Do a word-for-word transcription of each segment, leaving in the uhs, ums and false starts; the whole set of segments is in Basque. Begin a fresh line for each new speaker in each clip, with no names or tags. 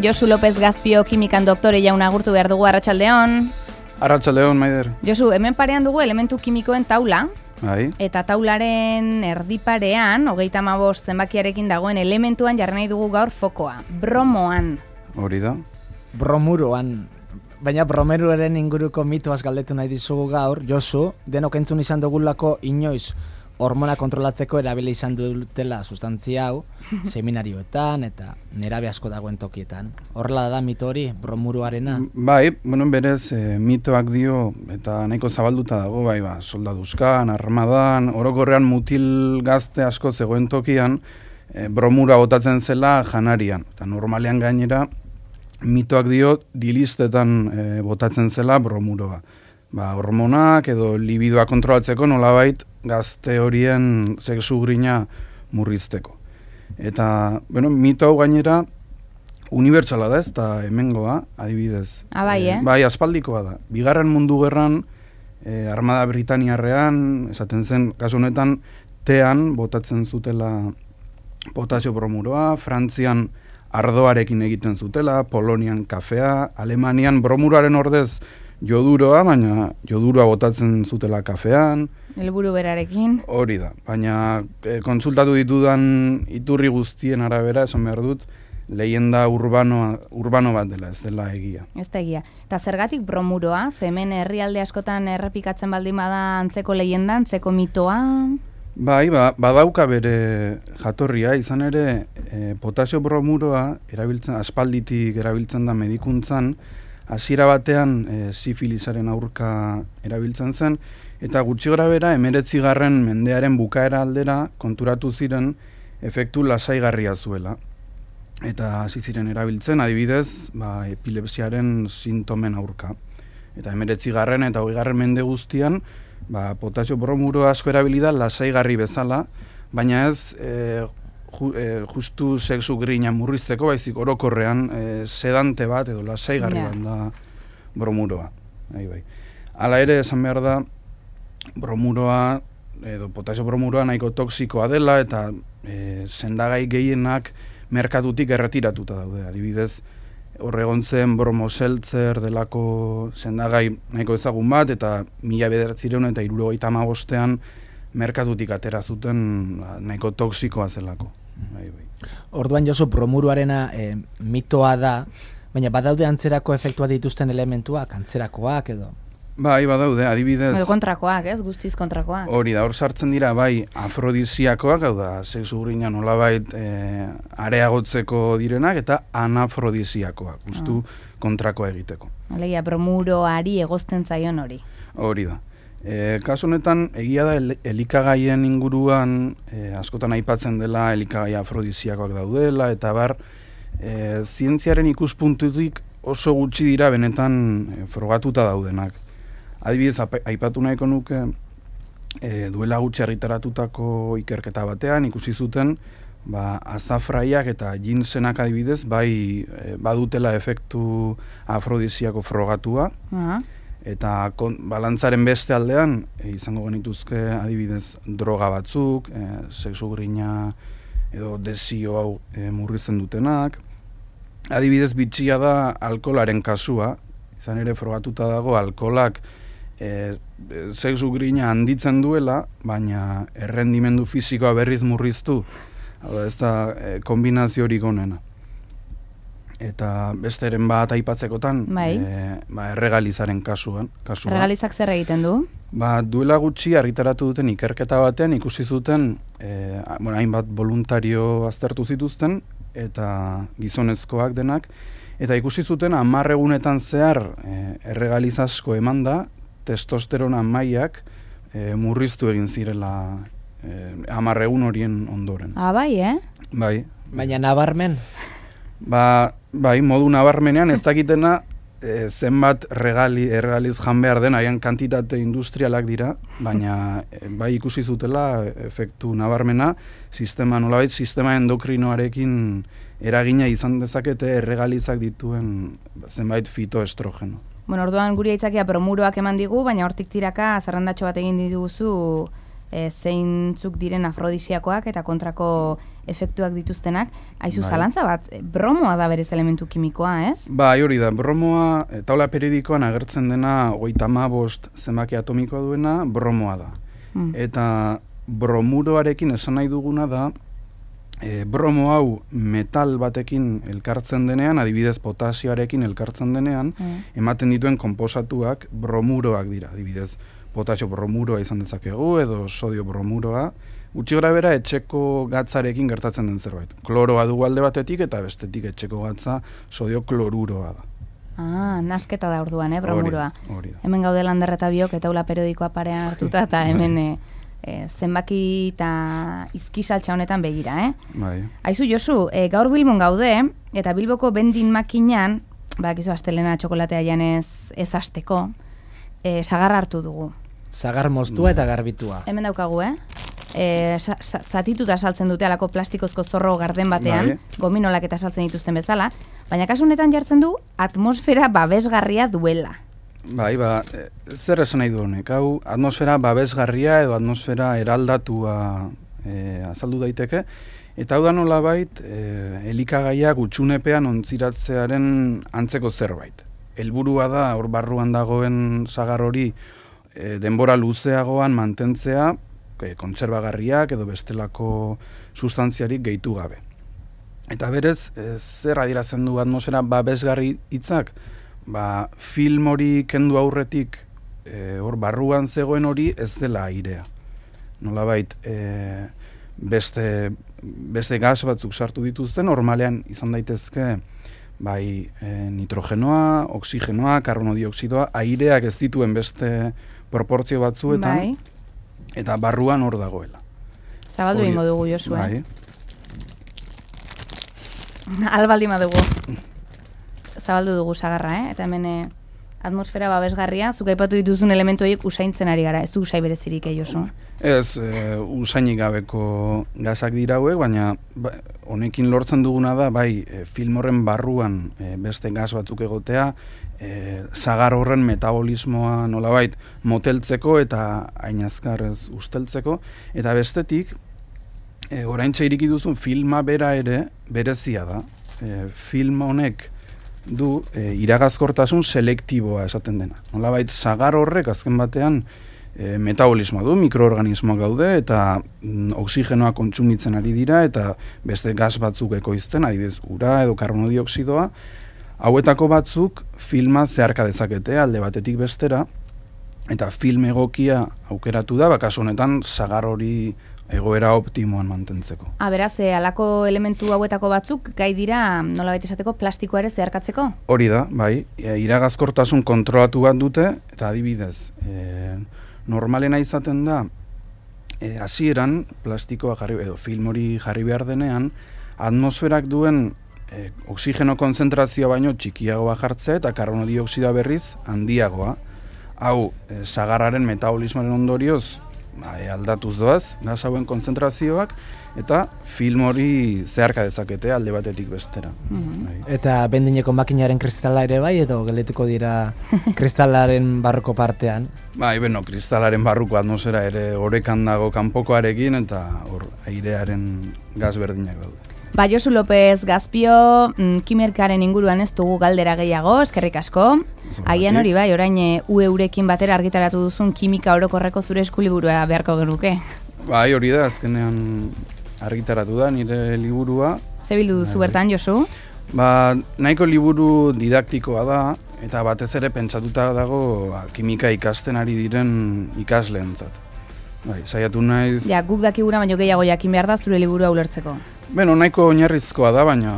Josu López Gazpio kimikan doktore jauna agurtu behar dugu, arratsaldeon.
Arratsaldeon, Maider.
Josu, hemen parean dugu elementu kimikoen taula.
Bai.
Eta taularen erdiparean, hogeita hamabost zenbakiarekin dagoen elementuan jarri nahi dugu gaur fokoa. Bromoan.
Hori da.
Bromuroan. Baina bromeruaren inguruko mitoaz galdetu nahi dizugu gaur, Josu, denok entzun izan dugulako inoiz hormona kontrolatzeko erabili izan dutela sustantzia hau, seminarioetan eta nerabe asko dagoen tokietan. Horrela da mito hori, bromuroarena?
Bai, bueno, berez, e, mitoak dio, eta nahiko zabalduta dago, bai, ba, soldaduzkan, armadan, orokorrean mutil gazte asko zegoen tokian, e, bromura botatzen zela janarian. Eta normalean gainera, mitoak dio, dilistetan e, botatzen zela bromuroa. Ba, hormonak edo libidoa kontrolatzeko nolabait gazte horien sexu grina murrizteko. Eta, bueno, mito hau gainera unibertsala da, ez da hemengoa, adibidez.
Ah, bai, eh?
E, bai, aspaldikoa da. Bigarren mundu gerran, e, Armada Britaniarrean, esaten zen, kasu honetan, tean botatzen zutela potasio bromuroa, Frantzian ardoarekin egiten zutela, Polonian kafea, Alemanian bromuroaren ordez joduroa, baina joduroa botatzen zutela kafean.
Helburu berarekin.
Hori da, baina e, konsultatu ditudan iturri guztien arabera, esan behar dut, leyenda urbano, urbano bat dela, ez dela egia.
Ez da egia. Eta zergatik bromuroa? Ze hemen herrialde askotan errepikatzen baldin bada antzeko leyenda, antzeko mitoa?
Bai, ba, badauka bere jatorria, izan ere e, potasio bromuroa erabiltzen, aspalditik erabiltzen da medikuntzan, hasiera batean e, sifilisaren aurka erabiltzen zen, eta gutxi gorabehera hemeretzigarren mendearen bukaera aldera konturatu ziren efektu lasaigarria zuela. Eta hasi ziren erabiltzen, adibidez, ba, epilepsiaren sintomen aurka. Eta hemeretzigarren eta hogeigarren mende guztian, ba, potasio bromuro asko erabilida lasaigarri bezala, baina ez e, ju, e, justu sexu grina murrizteko, baizik orokorrean e, sedante bat edo lasaigarri
yeah.
bat da bromuroa. Bai, bai. Hala ere, esan behar da, bromuroa edo potasio bromuroa nahiko toksikoa dela eta e, sendagai gehienak merkatutik erretiratuta daude. Adibidez, horregontzen bromoseltzer delako sendagai nahiko ezagun bat, eta mila bederatziehun eta hirurogeita hamabostean merkatutik atera zuten nahiko toksikoa zelako. Bai, bai.
Orduan, Josu, bromuroarena e, mitoa da, baina badaude antzerako efektua dituzten elementuak, antzerakoak edo?
Bai, badaude, adibidez...
Edo kontrakoak, ez? Guztiz kontrakoak.
Hori da, hor sartzen dira, bai, afrodisiakoak, hau da, sexu grina nolabait e, areagotzeko direnak, eta anafrodisiakoak, justu ah. kontrakoa egiteko.
Alegia, bromuroari egozten zaion hori.
Hori da. E, kasu honetan, egia da, el, elikagaien inguruan, e, askotan aipatzen dela, elikagai afrodisiakoak daudela, eta bar, e, zientziaren ikuspuntutik oso gutxi dira benetan e, frogatuta daudenak. Adibidez, aipatu nahiko nuke, e, duela gutxi argitaratutako ikerketa batean, ikusi zuten, ba, azafraiak eta ginsenak adibidez, bai e, badutela efektu afrodisiako frogatua, uh-huh. eta kon, balantzaren beste aldean, e, izango genituzke adibidez droga batzuk, e, sexu grina edo desio hau e, murrizten dutenak. Adibidez, bitxia da alkoholaren kasua, izan ere frogatuta dago alkoholak E, sexu grina handitzen duela, baina errendimendu fisikoa berriz murriztu. Hau da, ez da e, kombinazio hori gonena. Eta besteren bat aipatzekotan,
bai.
e, ba, erregalizaren kasuan. Kasua.
Erregalizak zer egiten du?
Ba, duela gutxi argitaratu duten ikerketa batean ikusi zuten, e, bueno, hainbat voluntario aztertu zituzten, eta gizonezkoak denak, eta ikusi zuten hamar egunetan zehar e, erregaliz asko eman da, testosterona mailak e, murriztu egin zirela e, hamar egun horien ondoren.
Ah, bai, eh?
Bai.
Baina nabarmen?
Ba, bai, modu nabarmenean ez dakitena e, zenbat regali, erregaliz jan behar den, haian kantitate industrialak dira, baina e, bai ikusi zutela efektu nabarmena, sistema nolabait, sistema endokrinoarekin eragina izan dezakete erregalizak dituen zenbait fitoestrogeno.
Bueno, orduan guri aitzakia bromuroak eman digu, baina hortik tiraka zerrendatxo bat egin dituzu e, zeintzuk diren afrodisiakoak eta kontrako efektuak dituztenak. Aizu, zalantza bat, bromoa da berez elementu kimikoa, ez?
Ba, hori da, bromoa, taula periodikoan agertzen dena hogeita hamabost zenbaki atomikoa duena, bromoa da. Mm. Eta bromuroarekin esan nahi duguna da, e, bromo hau metal batekin elkartzen denean, adibidez potasioarekin elkartzen denean, mm. ematen dituen konposatuak bromuroak dira, adibidez potasio bromuroa izan dezakegu, edo sodio bromuroa, gutxi gora bera etxeko gatzarekin gertatzen den zerbait. Kloroa dugu alde batetik eta bestetik etxeko gatza sodio kloruroa da.
Ah, nasketa da orduan, eh, bromuroa.
Hori, hori da.
Hemen gaude Lander eta biok eta taula periodikoa parean hartuta eta hemen e, e, zenbaki eta izkisaltza honetan begira, eh?
Bai.
Aizu, Josu, e, gaur Bilbon gaude eta Bilboko bendin makinan, bakizu astelena txokolatea janez ez hasteko, e, sagarra hartu dugu.
Sagar moztua eta garbitua.
Hemen daukagu, eh? E, sa, sa, zatituta saltzen dute alako plastikozko zorro garden batean, bai. Gominolak eta saltzen dituzten bezala, baina kasu honetan jartzen du atmosfera babesgarria duela.
Bai, ba, e, zer esan nahi du honek, hau atmosfera babesgarria edo atmosfera eraldatua e, azaldu daiteke, eta hau da nolabait e, elikagaiak utxunepean ontziratzearen antzeko zerbait. Helburua da hor barruan dagoen sagar hori e, denbora luzeagoan mantentzea, kontserbagarriak edo bestelako sustantziarik gehitu gabe. Eta berez, e, zer adierazten du atmosfera babesgarri hitzak? Ba, film hori kendu aurretik e, hor barruan zegoen hori ez dela airea. Nolabait, e, beste, beste gas batzuk sartu dituzten, normalean izan daitezke bai e, nitrogenoa, oksigenoa, karbonodioksidoa, aireak ez dituen beste proportzio batzuetan, bai. Eta barruan hor dagoela.
Zabaldu ingo dugu, Josu, eh?
Bai.
Albaldi madugu. Zabaldu dugu sagarra, eh? Eta hemen eh, atmosfera babesgarria, zuk aipatu dituzun elementu horiek usaintzen ari gara. Ez du usai berezirik, eh, Josu?
Ez, e, usainik gabeko gazak dira hauek, baina ba, honekin lortzen duguna da, bai, e, film horren barruan e, beste gaz batzuk egotea, E, sagar horren metabolismoa nolabait moteltzeko eta ainazkarrez usteltzeko, eta bestetik e, oraintxe iriki duzun filma bera ere berezia da. E, film honek du e, iragazkortasun selektiboa esaten dena. Nolabait sagar horrek azken batean e, metabolismoa du, mikroorganismoak daude eta mm, oksigenoa kontsumitzen ari dira eta beste gas batzuk ekoizten, adibidez ura edo karbonodioksidoa. Hauetako batzuk filma zeharka dezakete alde batetik bestera, eta film egokia aukeratu da, bakasu honetan sagar hori egoera optimoan mantentzeko.
Ah, beraz, e, alako elementu hauetako batzuk gai dira nolabait esateko plastikoa ere zeharkatzeko?
Hori da, bai, e, iragazkortasun kontrolatu bat dute, eta adibidez, e, normalena izaten da, e, hasieran plastikoa jarri, edo film hori jarri behar denean, atmosferak duen E, oksigeno konzentrazioa baino txikiagoa jartzea eta karbonodioksidoa berriz handiagoa. Hau, e, sagarraren metabolismoaren ondorioz ba, e, aldatuz doaz, gaz hauen konzentrazioak, eta film hori zeharka dezakete alde batetik bestera.
Mm-hmm. Bai. Eta bendineko makinaren kristala ere bai, edo geldetuko dira kristalaren barruko partean?
Bai, beno, kristalaren barruko atmosfera ere orekan dago kanpokoarekin, eta hor airearen gaz berdinak daude.
Ba, Josu López Gazpio, mm, kimerkaren inguruan ez dugu galdera gehiago, eskerrik asko. Agian hori bai, orain e, U eurekin batera argitaratu duzun kimika orokorreko zure eskuliburua beharko genuke.
Bai, hori da, azkenean argitaratu da nire liburua.
Ze bildu duzu bertan, Josu?
Ba, nahiko liburu didaktikoa da, eta batez ere pentsatuta dago ba, kimika ikasten ari diren ikasleentzat. Bai, saiatu naiz...
Ja, guk dakigura baino gehiago jakin behar da zure liburua ulertzeko.
Beno, nahiko oinarrizkoa da, baina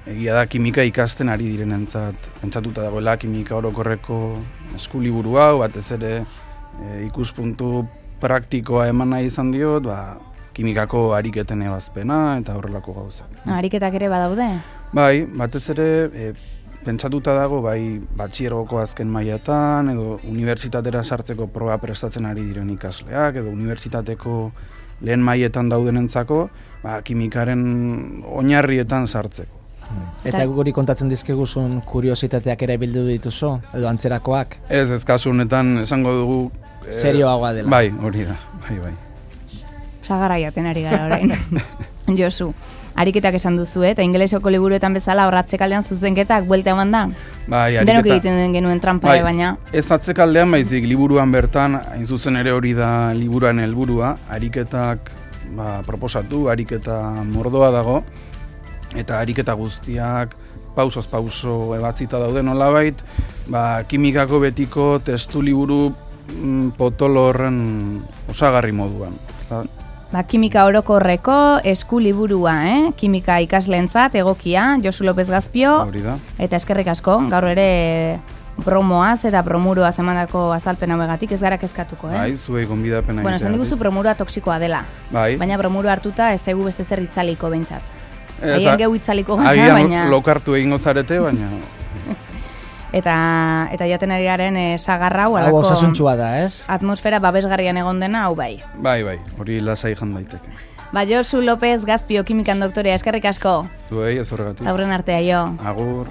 egia da kimika ikasten ari direnentzat pentsatuta dagoela kimika orokorreko eskuliburu hau, batez ere e, ikuspuntu praktikoa eman nahi izan diot, ba, kimikako ariketen ebazpena eta horrelako gauza.
Ariketak ere badaude?
Bai, batez ere e, pentsatuta dago bai batxiergoko azken mailatan edo unibertsitatera sartzeko proba prestatzen ari diren ikasleak edo unibertsitateko lehen mailetan daudenentzako ba, kimikaren oinarrietan sartzeko.
Eta guri kontatzen dizkiguzun kuriositateak ere bildu dituzu edo antzerakoak?
Ez, ez kasu honetan esango dugu
serioagoa dela.
Bai, hori da. Bai, bai.
Sagarra jaten ari gara orain. Josu, ariketak esan duzu, eta ingelesoko liburuetan bezala horratzekaldean zuzenketak buelta eman da?
Bai, ariketa.
Denok egiten den genuen trampa,
bai,
baina...
Ez atzekaldean baizik liburuan bertan, hain zuzen ere hori da liburuan helburua, ariketak ba, proposatu, ariketa mordoa dago, eta ariketa guztiak pausoz pauso ebatzita daude nolabait, ba, kimikako betiko testu liburu mm, potolo horren osagarri moduan. Ba,
Ba, kimika orokorreko esku liburua, eh? Kimika ikasleentzat egokia, Josu López Gazpio,
hori da.
eta eskerrik asko, gaur ere promoaz eta promuroaz emandako azalpen hauegatik ez gara kezkatuko, eh?
Bai, zuei gonbidapena
Bueno, esan diguzu promurua toksikoa dela,
bai.
baina promuro hartuta ez zaigu beste zer itzaliko behintzat.
Ez,
Agian gehu itzaliko gara,
agian
baina...
lokartu egingo zarete, baina...
Eta, eta jaten ari garen e, sagarra hau
Hau
alako
osasuntxua da, ez?
atmosfera babesgarrian egon dena, hau bai.
Bai, bai, hori lasai jan daiteke.
Ba, Josu López Gazpio, kimikan doktorea, eskerrik asko.
Zuei, ez horregatik.
Aurren artea, jo.
Agur.